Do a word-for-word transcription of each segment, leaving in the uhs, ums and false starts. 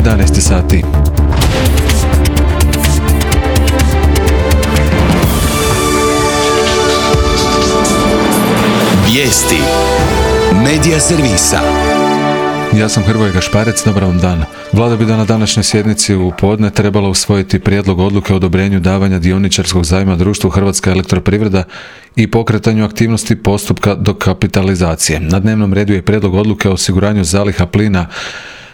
jedanaest sati. Vijesti Medija servisa. Ja sam Hrvoje Gašparec, dobar vam dan. Vlada bi da na današnjoj sjednici u podne trebala usvojiti prijedlog odluke o odobrenju davanja dioničarskog zajma društvu Hrvatska elektroprivreda i pokretanju aktivnosti postupka dokapitalizacije. Na dnevnom redu je prijedlog odluke o osiguranju zaliha plina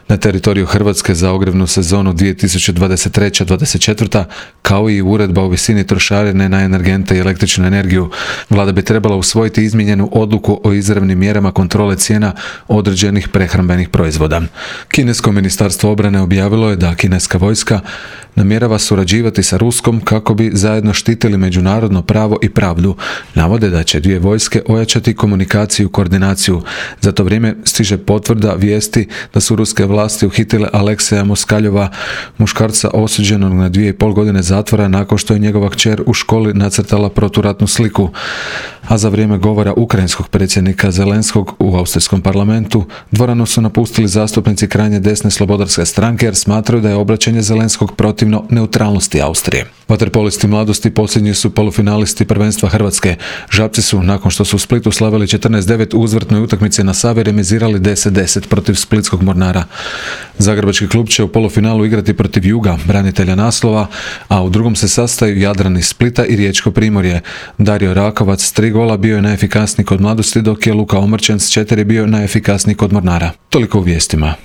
na teritoriju Hrvatske za ogrjevnu sezonu dvije tisuće dvadeset treće dvadeset četvrta kao i uredba o visini trošarine na energente i električnu energiju. Vlada bi trebala usvojiti izmijenjenu odluku o izravnim mjerama kontrole cijena određenih prehrambenih proizvoda. Kinesko ministarstvo obrane objavilo je da kineska vojska namjerava surađivati sa Ruskom kako bi zajedno štitili međunarodno pravo i pravdu. Navode da će dvije vojske ojačati komunikaciju i koordinaciju. Za to vrijeme stiže potvrda vijesti da su ruske vlasti uhitile Alekseja Moskaljova, muškarca osuđenog na dvije i pol godine zatvora nakon što je njegova kćer u školi nacrtala proturatnu sliku. A za vrijeme govora ukrajinskog predsjednika Zelenskog u austrijskom parlamentu dvoranu su napustili zastupnici krajnje desne slobodarske stranke jer smatraju da je obraćanje Zelenskog protivno neutralnosti Austrije. Vaterpolisti mladosti posljednji su polufinalisti prvenstva Hrvatske. Žabci su, nakon što su u Splitu slavili četrnaest devet u uzvratnoj utakmici na Savi, remizirali deset deset protiv splitskog Mornara. Zagrebački klub će u polufinalu igrati protiv Juga, branitelja naslova, a u drugom se sastaju Jadran iz Splita i Riječko Primorje. Dario Rakovac s tri gola bio je najefikasniji kod mladosti, dok je Luka Omrčen s četiri bio najefikasniji kod Mornara. Toliko u vijestima.